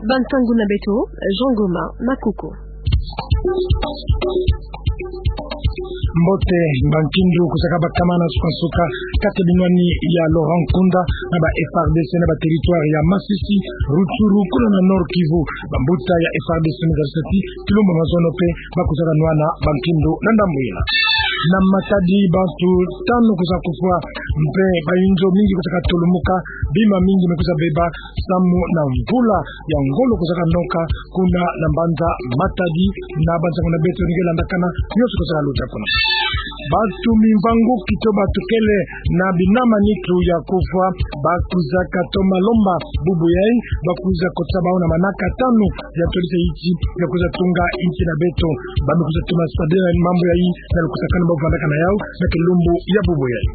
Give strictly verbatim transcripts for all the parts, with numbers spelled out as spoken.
Bansangu na beto, Jean Goma Makuku. Mbote, bankindu kusaka bakama na nsuka-nsuka, kati binwani ya Laurent Nkunda na ba F A R D C na ba territoire ya Masisi, Rutshuru, kuna na Nord-Kivu, bambuta ya F A R D C me zarisati kilumbu ya mazono mpe ba kusaka nwana bankindu na ndambu ina. Na Matadi, bantu tanu kusaka kufwa, mpe bayinzo mingi kusaka tolumuka, bima mingi me kusa beba, samu na mvula ya ngolo kusaka noka, kuna na mbanza Matadi, na bansangu na beto nge landakana, nyoso kusaka luta kuna. Bantu mimvangu kito bantu kele na binama nitu ya kufwa, ba kusaka toma lomba bubu yai, ba kusa kotisa bau na manaka tanu ya tolisa inti, ya kusa tunga inti na beto, ba me kusa toma sadila mambu yai, na lukusakanu bau vandaka na yau, na kilumbu ya bubu yai.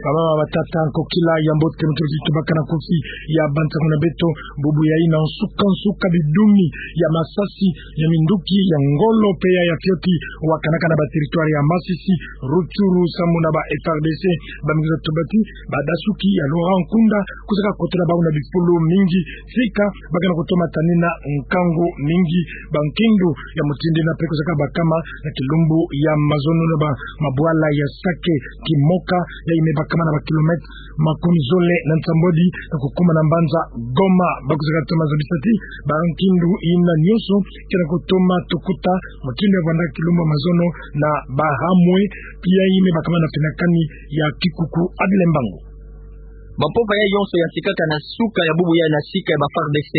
Bamama, batata, nkokila ya mbote, mutuli tubaka na kofi ya bansangu na beto, bubu yai na nsuka-nsuka bidumi ya masasi, ya minduki, ya ngolo, mpe ya, ya fioti, wakanaka na ba territoire ya Masisi, Rutshuru, samu na ba F A R D C, ba me kusa tuba ti, badasuki ya Laurent Nkunda, kusaka kotela bau na bifulu mingi, sika, ba kena kutoma tanina nkangu mingi, bankindu ya mutindu ina mpe kusaka bakama, na kilumbu ya mazono na ba mabwala ya Sake, Kimoka, yai me bakama na ba kilomètre makumi zole na nsambwadi, na kukuma na mbanza Goma, ba kusaka toma zabisa ti, bankindu ina nyoso, kena kutoma tukuta, mutindu ya vandaka kilumbu ya mazono, na bahamwe, yai me bakama na finakani ya kikuku. Adile Mbangu. Bampova yai yonso yantikaka na suka ya bubu yai na sika ya ba F A R D C,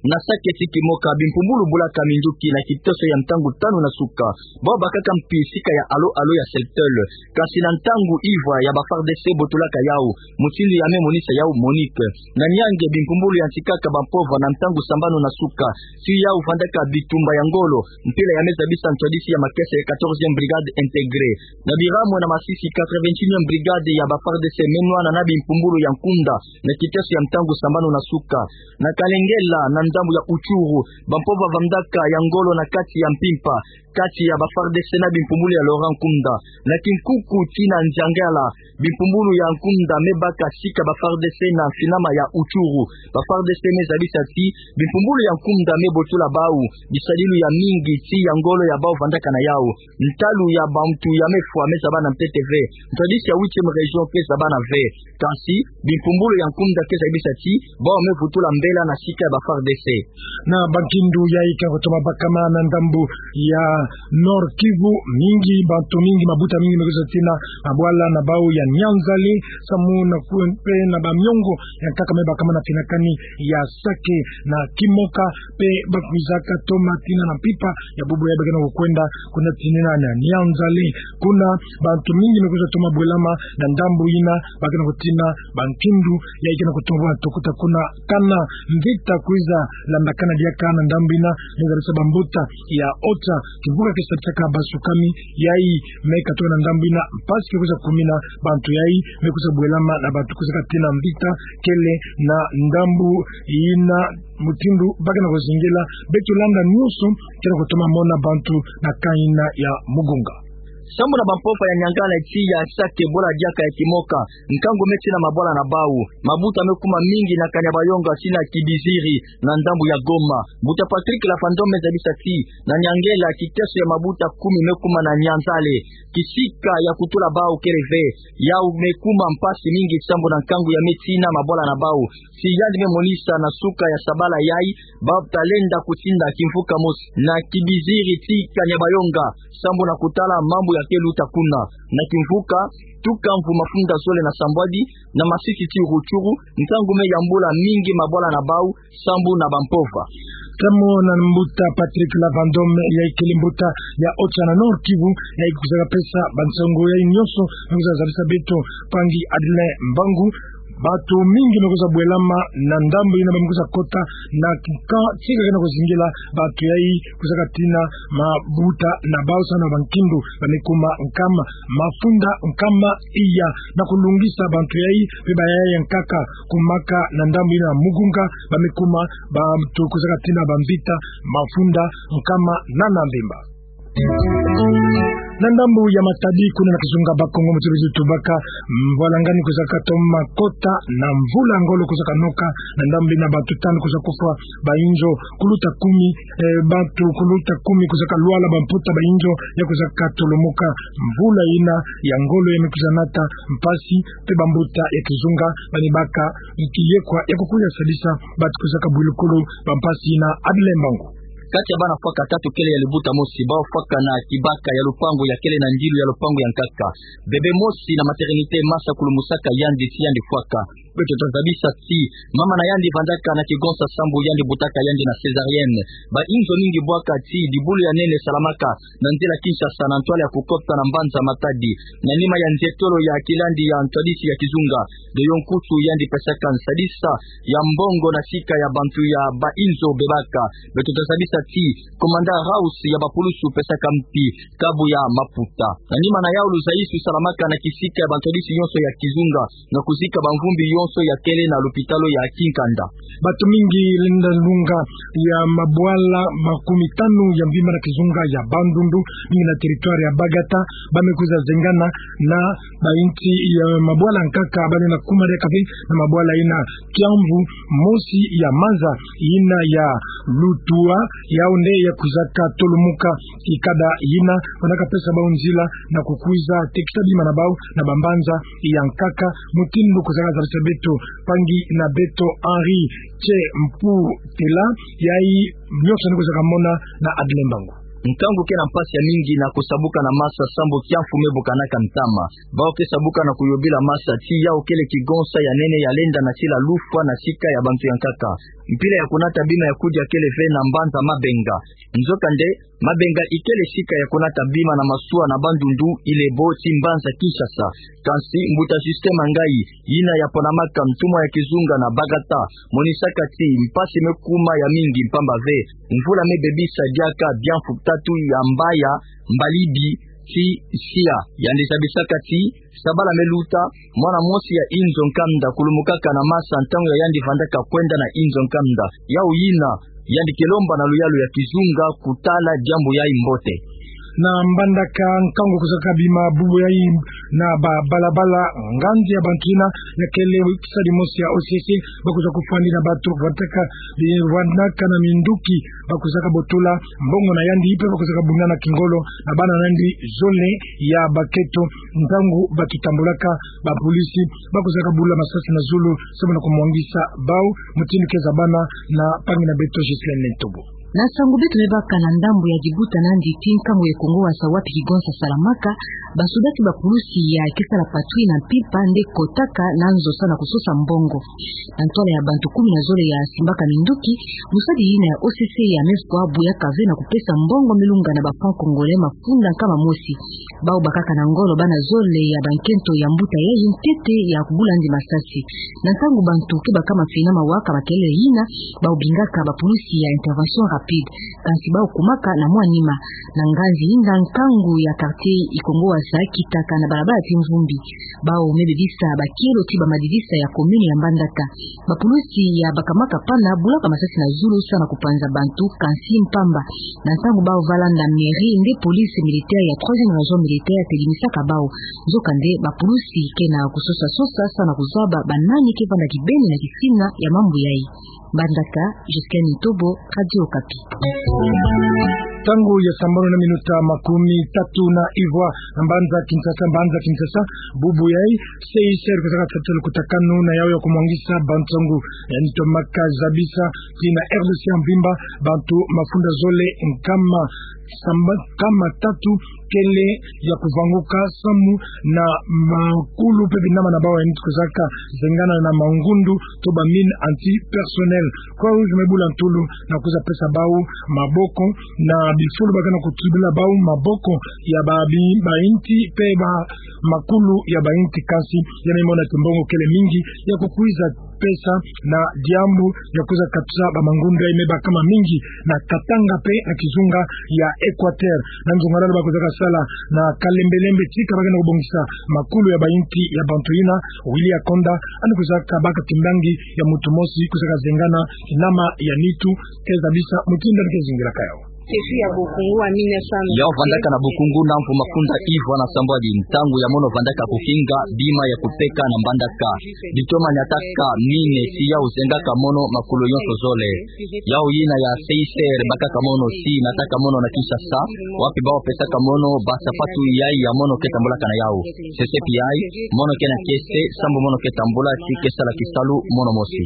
na Sake ti Kimoka, bimpumbulu bulaka minduki na kitoso ya ntangu tanu na suka. Bau bakaka mpi sika ya alo-alo ya Celtel. Kasi na ntangu ivwa ya ba F A R D C botulaka yau, mutindu ya me monisa yau Monique. Na Niangue, bimpumbulu yantikaka bampova na ntangu sambanu na suka, si yau vandaka bitumba ya ngolo, mpila ya me zabisa ntwadisi ya makese ya quatorzième brigade intégrée. Na Biramwe na Masisi, quatre-vingt-unième brigade ya ba F A R D C me nwana na bimpumbulu ya Nkunda, na kitoso ya ntangu sambanu na suka. Na Kalengela, na ndambu ya Utshuru, bampova vandaka ya ngolo na kati ya mpimpa, kati ya ba F A R D C na bimpumbulu ya Laurent Nkunda. Na Kinkuku tii na Nziangala, bimpumbulu ya Nkunda me baka sika ba F A R D C na mfinama ya Utshuru. Ba F A R D C me zabisa ti, bimpumbulu ya Nkunda me botula bau bisadilu ya mingi tii ya ngolo ya bau vandaka na yau. Ntalu ya bantu ya me fwa me zaba na ntete ve. Ntwadisi ya huitième région ke zaba na ve. Kasi, bimpumbulu ya Nkunda ke zabisa ti, bau me vutula mbela na sika ya ba F A R D C. Na bankindu yai kena kutoma bakama na ndambu ya Nord-Kivu, mingi, bantu mingi, mabuta mingi me kusa tina mabwala na bau ya Nianzale, samu na ku-, mpe na bamiongo yankaka me bakama na finakani ya Sake na Kimoka, mpe ba kuizaka toma tina na mpimpa ya bubu yai ba kena kukwenda kuna tinina na Nianzale. Kuna bantu mingi me kusa toma bwelama na ndambu ina, ba kena kutina bankindu yai kena kutoma tukuta kuna kana mvita kwiza landakana diaka na ndambu ina, me zarisa bambuta ya OCHA, kimvuka ke sadisaka basukami, yai me katuka na ndambu ina, mpasi ke kusa kumina, bantu yai me kusa bwelama na bantu kusa katina mvita kele na ndambu ina, mutindu ba kena kuzingila. Beto landa nyoso, kena kutoma mona bantu na camp ina ya Mugunga. Sambu na bampova ya Niangala tii ya Sake, bwala diaka ya Kimoka, nkangu me tii na mabwala na bau. Mabuta me kuma mingi na Kanyabayonga tii na Kibiziri, na ndambu ya Goma. Mbuta Patrick Lavandome me zabisa ti, na Niangala, kiteso ya mabuta kumi me kuma na Nianzale. Kisika ya kutula bau kele ve. Yau me kuma mpasi mingi sambu na nkangu ya me tii na mabwala na bau. Si yandi me monisa na suka ya sabala yai, bau talenda kutinda kimvuka mosi na Kibiziri tii Kanyabayonga, sambu na kutala mambu ya ke luta kuna. Na kimvuka, tuka mvu mafunda zole na sambwadi, na Masisi tii Rutshuru, nkangu me yambula mingi mabwala na bau, sambu na bampova. Samu na mbuta Patrick Lavandome, yai kele mbuta ya OCHA na Nord-Kivu, yai kuzaka pesa bansangu yai nyoso, me kuza zabisa beto, mpangi Adrien Mbangu, bantu mingi me kuza bwelama na ndambu ina, ba me kuza kota na camp tii kena kuzingila bantu yai kuza katina mabuta na bau samu na bankindu ba me kuma nkama mafunda nkama iya na kulungisa bantu yai, mpe bayaya yankaka kumaka na ndambu ina Mugunga, ba me kuma bantu kuza katina bamvita mafunda nkama nana mvimba. Na ndambu ya Matadi, kuna na kizunga Bakongo, muti bizi tubaka mvwalangani kwizaka toma kota na mvula ngolo kwizaka noka, na ndambu ina bantu tanu kwiza kufwa, bayinzo kuluta kumi, eh, bantu kuluta kumi kwizaka lwala, bamputa bayinzo ya kwizaka tolomoka. Mvula ina ya ngolo ya me kwiza nata mpasi, mpe bambuta ya kizunga bani baka kiyekwa ya kukwiza sadisa bantu kwizaka bwilukulu bampasi ina. Adle Mbangu. Kati ya bana fwaka tatu kele ya libuta mosi, bawu fwaka na kibaka ya lupangu ya kele na ndilu ya lupangu ya nkaka. Bebe mosi na maternité, masa kulumusaka yandi ti yandi fwaka. Beto tazabisa ti mama na yandi vandaka na kigonsa sambu, yandi butaka yandi na césarienne. Bayinzo mingi bwaka ti dibulu ya nene salamaka na nzila Kinshasa na ntwala ya kukota na mbanza Matadi. Na nima ya nzietolo ya kilandi ya ntwadisi ya kizunga, de yo nkutu yandi pesaka nsadisa ya mbongo na sika ya bantu ya bayinzo bebaka. Beto tazabisa ti komanda Raus ya bapulusu pesaka mpi kabu ya maputa. Na nima na yawu, luzaisu salamaka na kisika ya bantwadisi yonso ya kizunga, na kuzika bamvumbi yonso ya kele na lupitalu ya Kinkanda. Bantu mingi lenda lunga ya mabwala makumi tanu ya mvimba na kizunga ya Bandundu, mingi na territoire ya Bagata, ba me kwiza zengana na bayinti ya mabwala nkaka, ba lenda kuma diaka ve na mabwala ina Kiamvu, mosi ya manza ina ya Lutua, yawu nde ya kwizaka tolomoka. Ikada ina, banaka pesa bawu nzila na kukwiza tekisa bima na bawu na bambanza ya nkaka, mutindu kwizaka zabisa beto mpangi na beto Henri Che Mpu Tela, yayi nionso ni kwizaka mona na Adle Mbangu. Nkangu ke na mpasi ya mingi na kusabuka na masa sambu kiamfu me bukanaka ntama. Bawu ke sabuka na kuyobila masa ti yawu kele kigonsa ya nene ya lenda na sila lufwa na sika ya bantu ya nkaka. Mpila ya kunata bima ya kudia kele ve na mbanza Mabenga. Nzokande, Mabenga ikele sika ya kunata bima na masuwa na Bandundu, Ilebo, ti mbanza Kinshasa. Kansi mbuta Justin Mangayi, ina ya ponamaka ntumwa ya kizunga na Bagata, monisaka ti mpasi me kuma ya mingi mpamba ve mvula me bebisa diaka biamfu tatu ya mbaya, mbalibi ti sia. Yandi zabisaka ti sabala me luta, mwana mosi ya inzo nkanda kulumukaka na masa ntangu ya yandi vandaka kwenda na inzo nkanda. Yawu ina, yandi ke lomba na luyalu ya kizunga kutala diambu yayi mbote. Na Mbandaka, nkangu kwizaka bima bubu yayi na babalabala, nganzi ya bantu ina ya kele sali mosi ya O C C, ba kwiza kufwani na bantu vandaka, vandaka na minduki, ba kwizaka botola mbongo na yandi, mpe ba kwizaka bundana kingolo na bana na yandi zole ya bakento. Ntangu ba kitambulaka, bapolisi ba kwizaka bula masasi na zulu, samu na kumwangisa bawu, mutindu ke zabana na mpangi na beto Ghislaine Ntobo. Na nsangu beto me baka na ndambu ya Djibouti na Nditi, nkangu ya Kongo Wasa wapi kigonsa salamaka, basoda ti bapulusi ya ke sala patrouille na mpimpa nde kotaka na nzo samu na kusosa mbongo. Na ntwala ya bantu kumi na zole ya simbaka minduki, mosadi ina ya O C C ya me fwa bu ya kave na kupesa mbongo me lunga na ba francs congolais mafunda nkama mosi. Bawu bakaka na ngolo bana zole ya bankento ya mbuta yayi ntete ya kubula yandi masasi. Na ntangu bantu ke baka mafina mawa ka makelele ina, bawu bingaka bapulusi ya intervention rapide. Kansi bawu kumaka na mwa nima. Na nganzi ina, nkangu ya quartier Ikongo Wasa kitaka na balabala ti Mvumbi. Bawu me bebisa bakielo ti bamadidisa ya commune ya Mbandaka. Bapulusi ya bakamaka pana bulaka masasi na zulu samu na kupanza bantu, kansi mpamba. Na ntangu bawu va landa mairie, nde police militaire ya troisième région militaire telimisaka bawu. Nzokande bapulusi ke na kusosa-sosa samu na kuzaba banani ke vanda kibeni na kisina ya mambu yayi. Mbandaka, Ghislaine Ntobo, Radio Okapi. Ntangu ya sambanu na minuta makumi tatu na ivwa, na mbanza Kinshasa, mbanza Kinshasa, bubu yayi, C I C R kwizaka tata lukutakanu na yawu ya kumwangisa bansangu. Yandi tomaka zabisa ti na R D C ya mvimba, bantu mafunda zole nkama samba-, nkama tatu kele ya kuvanguka samu na makulu mpe binama na bawu yandi kwizaka zengana na mangundu to ba mine anti-personnel. Croix-Rouge me bula ntulu na kwiza pesa bawu maboko na bifulu ba ke na kutubila bawu maboko ya ba bi-, bayinti mpe ba makulu ya bayinti, kansi ya me mona ti mbongo kele mingi ya kukwiza pesa na diambu ya kwiza katusa ba mangundu yayi me baka mamingi na Katanga mpe na kizunga ya Equateur. Na nzungalala ba kwizaka sala na kalembelembe tika ba ke na kubongisa makulu ya bayinti ya bantu ina, Willy Akonda, yandi kwizaka baka kimbangi ya muntu mosi kwizaka zengana kinama ya nitu, ke zabisa mutindu yandi ke zingilaka yawu. Yau vandaka na Bukungu na mvu mafunda ivwa na sambwadi, ntangu ya mono vandaka kukinga bima ya kupeka na mbandaka. Bitoma niataka mine, si yau zengaka mono makulu yonso zole. Yau yina ya C I C R bakaka mono, si nataka mono na Kinshasa, wapi bau pesaka mono basapatu yayi ya mono ke tambulaka na yau. C C P I, mono ke na kiese, sambu mono ke tambula, si ke sala kisalu mono mosi.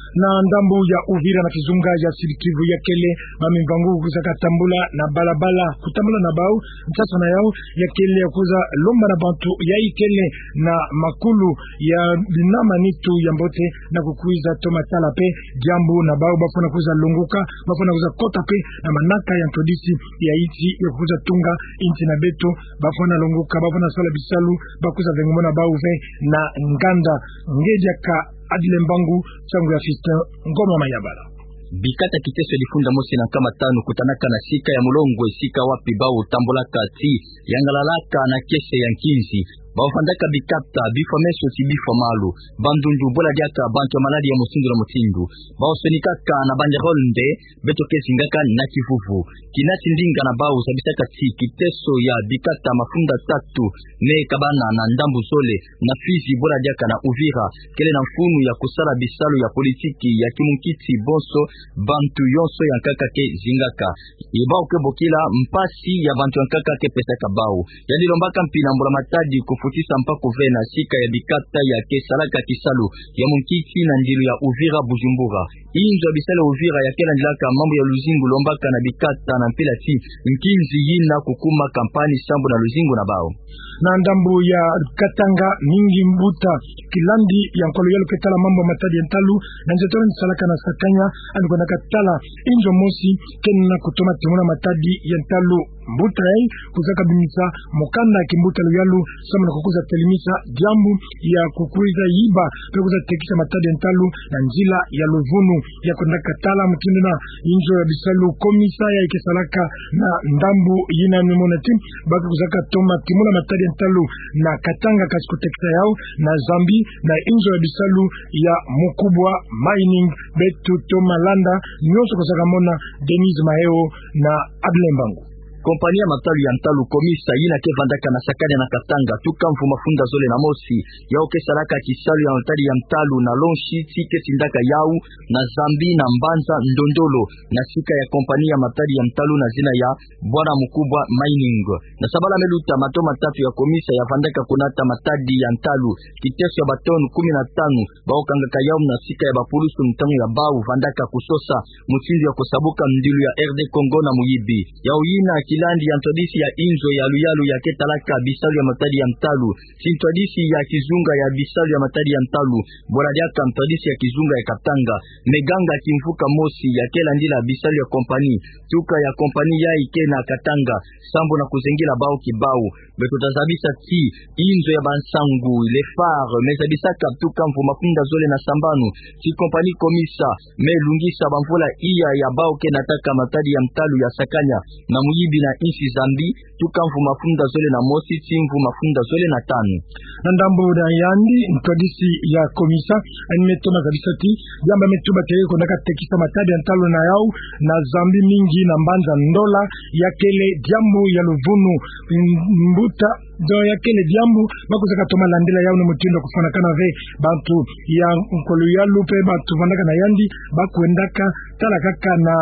Na ndambu ya Uvira na kizunga ya Sud-Kivu ya kele bamimvangu kwizaka tambula na balabala, kutambula na bau, nsasa na yau ya kele ya kwiza lomba na bantu yayi kele na makulu ya binama nitu ya mbote, na kukwiza toma tala pe diambu na bau, bafwana kwiza longoka, bafwana kwiza kota pe na manaka ya ntwadisi ya insi ya kukwiza tunga insi na beto, bafwana longoka, bafwana sala bisalu, bakwiza vengomo na bau ve na nganda. Nge diaka Adile Mbangu, nsangu ya Fiston Ngoma Mayabala. Bikata kiteso ya difunda mosi na nkama tanu kutanaka na sika ya Mulongwe, sika wapi bau tambulaka ti yangalalaka na kiese ya nkinzi. Bau vandaka bikata, bifwa meso ti bifwa malu, bandundu, bula diaka bantu ya maladi ya mutindu na mutindu. Bau sonikaka na banderole nde, beto ke zingaka na kivuvu. Kina ti ndinga na bau zabisaka ti kiteso ya bikata mafunda tatu me kabana na ndambu zole, na Fizi, bula diaka na Uvira, kele na mfunu ya kusala bisalu ya politiki ya kimunkiti bonso bantu yonso ya nkaka ke zingaka. Ye bau ke bokila mpasi ya bantu ya nkaka ke pesaka bau. Yandi lombaka mpi na mbula matadi kufutisa mpaku ve na sika ya bikata ya ke salaka kisalu ya munkiti na ndilu ya Uvira Bujumbura. Inzo ya bisalu ya Uvira ya ke landilaka mambu ya luzingu lombaka na bikata na mpila ti nkinzi yina kukuma kampani sambu na luzingu na bau. Na ndambu ya Katanga, mingi mbuta kilandi ya nkolo yalu ke tala mambu ya matadi ya ntalu, na nze tolo ni salaka na Sakanya, ani kwendaka tala inzo mosi kena kutoma timuna matadi ya ntalu. Mbuta yayi kwizaka bimisa mukanda ya kimbuta luyalu, sambu na kukwiza telimisa diambu ya kukwiza yiba, pe kwiza tekisa matadi ya ntalu na nzila ya luvunu. Ya kwendaka tala mutindu na inzo ya bisalu, komisa yayi ke salaka na ndambu yina, ni mona ti ba ke kwizaka toma timuna matadi ya ntalu na Katanga, kasi kutekisa yau na Zambie, na inzo ya bisalu ya Mukubwa Mining. Beto toma landa nionso kwizaka mona. Denise Maheo na Adile Mbangu. Kompani ya matalu ya ntalu Komisa, yina ke vandaka na Sakanya na Katanga, tuka mvu mafunda zole na mosi, yau ke salaka kisalu ya matadi ya ntalu na Lonshi, ti ke tindaka yau na Zambie, na mbanza Ndondolo, na sika ya kompani ya matadi ya ntalu na zina ya Bwana Mukubwa Mining. Na sabala me luta, mato matatu ya Komisa ya vandaka kunata matadi ya ntalu, kiteso ya batonu kumi na tanu, bau kangaka yau na sika ya bapulusu ntangu ya bau vandaka kusosa mutindu ya kusabuka ndilu ya R D Congo na muyibi. Yau yina kilandi ya ntwadisi ya inzo ya luyalu ya ke talaka bisalu ya matadi ya ntalu, ti ntwadisi ya kizunga ya bisalu ya matadi ya ntalu, bula diaka ntwadisi ya kizunga ya Katanga. Meganga kimvuka mosi ya ke landila bisalu ya kompani, tuka ya kompani yayi ke na Katanga, sambu na kuzengila bau kibau. Beto ta zabisa ti inzo ya bansangu, Le Phare, me zabisaka tuka mvu mafunda zole na sambanu ti kompani Komisa me lungisa bamvula iya ya bau ke nataka matadi ya ntalu ya Sakanya na muyibi na insi Zambie, tuka mvu mafunda zole na mosi ti mvu mafunda zole na tanu. Na ndambu na yandi, ntwadisi ya Komisa ani me toma zabisa ti diambu me tuba ke kwendaka tekisa matadi ya ntalu na yau na Zambie, mingi na mbanza Ndola, ya kele diambu ya luvunu. Mbuta, donc ya kele diambu ba kwizaka toma landila yau na mutindu ya kufwanakana ve. Bantu ya nkolo yalu pe bantu vandaka na yandi ba kwendaka tala kaka na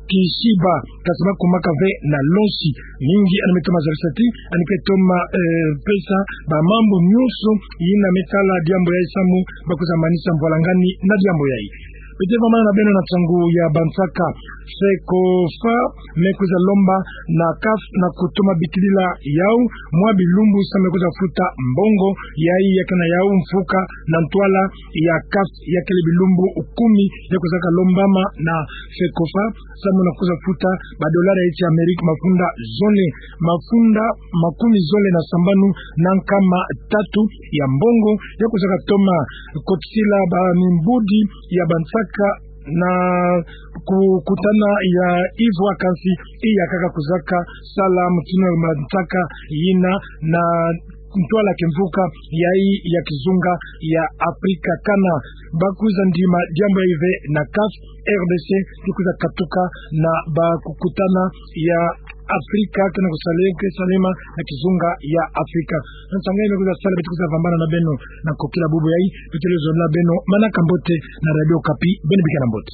Kishiba, kasi ba kumaka ve na Lonshi. Mingi ani me toma zabisa ti ani ke toma, eh, pesa bamambu nionso yina me tala diambu yayi sambu ba kwiza manisa mvwalangani na diambu yayi. Beto vwamana na beno na nsangu ya bansaka. FECOFA me kwiza lomba na CAF na kutoma bikilila yau mwa bilumbu sambu me kwiza futa mbongo yayi ya ke na yau mfuka na ntwala ya CAF, ya kele bilumbu kumi ya kwizaka lombama na FECOFA, sambu na kwiza futa badolari ya insi Amerika mafunda zole, mafunda makumi zole na sambanu na nkama tatu ya mbongo, ya kwizaka toma kotisila bamimbudi ya bansaka na ku-, kutana ya ivwa, kasi iya kaka kwizaka sala mutindu ya bansaka yina na ntwala kimvuka yayi ya kizunga ya Afrika. Kana ba kwiza ndima diambu yayi ve na CAF, RDC kwiza katuka na ba kukutana ya Afrika, kena kusaleke salema na kizunga ya Afrika. Nsangu yayi me kwiza sala, beto kwiza vambana na beno na nkokila bubu yayi, beto luzololo na beno manaka mbote na Radio Okapi, beno bikana mbote.